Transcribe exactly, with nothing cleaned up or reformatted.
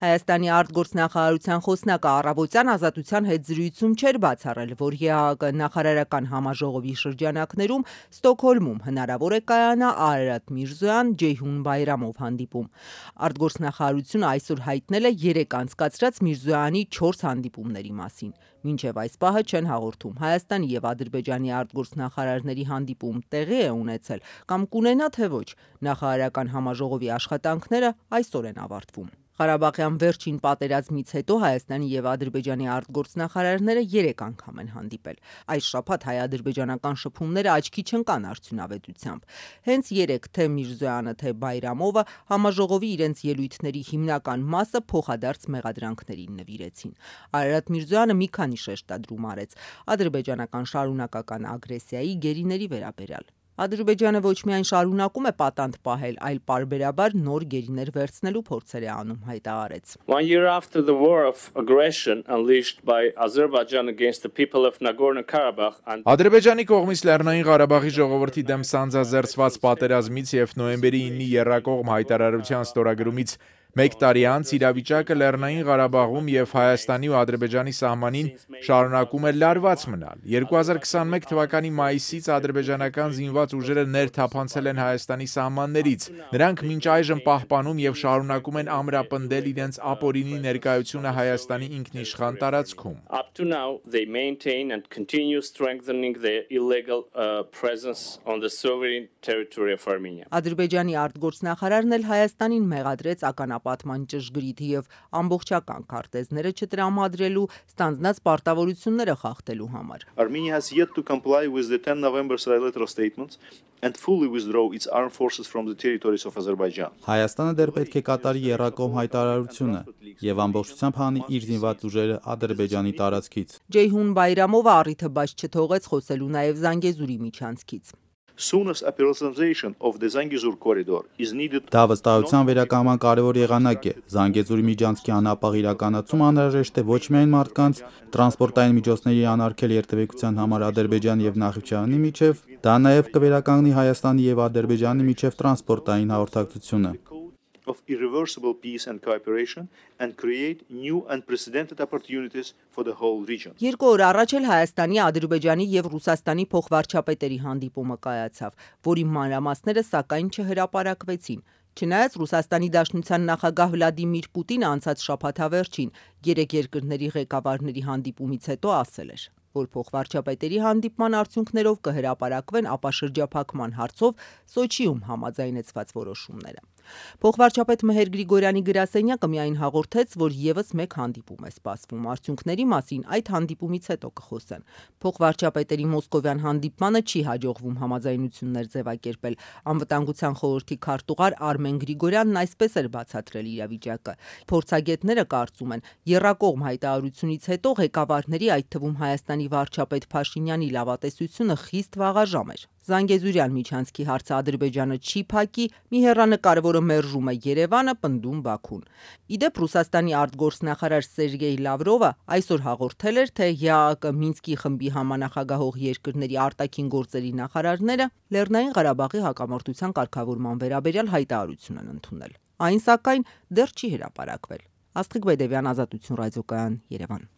Հայաստանի արտգործնախարարության խոսնակը առավոտյան Ազատության հետ զրույցում չէր բացառել, որ ԵԱՀԿ նախարարական համաժողովի շրջանակներում Ստոկհոլմում հնարավոր է կայանա Արարատ Միրզոյան Ջեյհուն Բայրամով հանդիպում։ Արտգործնախարարությունը այսօր հայտնել է երեկ անցկացրած Միրզոյանի չորս հանդիպումների մասին։ Մինչև այս պահը չեն հաղորդում Հայաստանի և Ադրբեջանի արտգործնախարարների հանդիպում տեղի է ունեցել կամ կունենա թե ոչ։ Նախարարական համաժողովի աշխատանքները այսօր են ավարտվում։ Ղարաբաղյան վերջին պատերազմից հետո Հայաստանի և Ադրբեջանի արտգործնախարարները երեք անգամ են հանդիպել։ Այս շաբաթ հայ-ադրբեջանական շփումները աչքի չընկան արդյունավետությամբ։ Հենց երեկ թե Միրզոյանը, թե Բայրամովը համաժողովի իրենց ելույթների հիմնական մասը փոխադարձ մեղադրանքներին նվիրեցին։ Արարատ Միրզոյանը մի քանի շեշտադրում արեց ադրբեջանական շարունակական ագրեսիայի գերիների վերաբերյալ։ Ադրբեջանը ոչ միայն շարունակում է պատանդ պահել, այլ պարբերաբար նոր գերիներ վերցնելու փորձեր է անում, հայտարարեց։ One year after the war of aggression unleashed by Azerbaijan against the people of Nagorno-Karabakh and Ադրբեջանի կողմից Լեռնային Ղարաբաղի ժողովրդի դեմ սանձազերծված պատերազմից եւ նոյեմբերի իննի եռակողմ հայտարարության ստորագրումից մեկ տարի անց իրավիճակը Լեռնային Ղարաբաղում եւ Հայաստանի ու Ադրբեջանի սահմանին շարունակում է լարված մնալ։ երկու հազար քսանմեկ թվականի մայիսից ադրբեջանական զինված ուժերը ներթափանցել են Հայաստանի սահմաններից։ Նրանք մինչ այժմ պահպանում եւ շարունակում են ամրապնդել իրենց ապօրինի ներկայությունը Հայաստանի ինքնիշխան տարածքում։ Up to now they maintain and continue strengthening their illegal uh, presence on the sovereign territory of Armenia. Ադրբեջանի արտգործնախարարն էլ Հայաստանին մեղադրեց ականապատման ճշգրիտ եւ ամբողջական քարտեզները չտրամադրելու, ստանձնած պարտավորությունները խախտելու համար։ Armenia has yet to comply with the ten November trilateral statements and fully withdraw its armed forces from the territories of Azerbaijan. Հայաստանը դեռ պետք է կատարի եռակողմ հայտարարությունը եւ ամբողջությամբ հանի իր զինված ուժերը Ադրբեջանի տարածքից։ Ջեյհուն Բայրամովը առիթը բաց չթողեց խոսելու նաեւ Զանգեզուրի միջանցքից։ Soonest operationalization of the Zangezur corridor is needed. Դա վստահության վերականգնման կարևոր եղանակ է։ Զանգեզուրի միջանցքի անապահ իրականացումը անհրաժեշտ է ոչ միայն մարդկանց, տրանսպորտային միջոցների անարգել երթևեկության համար Ադրբեջանի եւ Նախիջևանի միջև, դա նաեւ կվերականգնի Հայաստանի եւ Ադրբեջանի միջև տրանսպորտային հաղորդակցությունը of irreversible peace and cooperation and create new unprecedented opportunities for the whole region. Երկու օր առաջ էլ Հայաստանի, Ադրբեջանի եւ Ռուսաստանի փոխվարչապետերի հանդիպումը կայացավ, որի մանրամասները սակայն չհրապարակվեցին։ Չնայած Ռուսաստանի Դաշնության նախագահ Վլադիմիր Պուտինը անցած շաբաթավերջին երեք երկրների ղեկավարների հանդիպումից հետո ասել էր, որ փոխվարչապետերի հանդիպման արդյունքներով կհրապարակվեն ապաշրջափակման հարցով Սոչիում համաձայնեցված որոշումները։ Փոխվարչապետ Մեհեր Գրիգորյանի գրասենյակը միայն հաղորդեց, որ եւս մեկ հանդիպում է սպասվում։ Արդյունքների մասին այդ հանդիպումից հետո կխոսեն։ Փոխվարչապետերի մոսկովյան հանդիպմանը չի հաջողվում համաձայնություններ ձևակերպել։ Անվտանգության խորհրդի քարտուղար Արմեն Գրիգորյանն այսպես էր բացատրել իրավիճակը։ Փորձագետները կարծում են, եռակողմ հայտարարությունից հետո ղեկավարների, այդ թվում Հայաստանի վարչապետ Փաշինյանի լավատեսությունը խիստ վաղաժամ էր։ Զանգեզուրյան միջանցքի հարցը Ադրբեջանը չի փակի, մի հեռանկար, որը մերժում է Երևանը, պնդում Բաքուն։ Իդեպ Ռուսաստանի արտգործնախարար Սերգեյ Լավրովը այսօր հաղորդել էր, թե ԵԱՀԿ Մինսկի խմբի համանախագահող երկրների արտաքին գործերի նախարարները Լեռնային Ղարաբաղի հակամարտության կարգավորման վերաբերյալ հայտարարություն են ընդունել։ Այն սակայն դեռ չի հրապարակվել։ Աստղիկ Բեդևյան, Ազատություն ռադիոկայան, Երևան։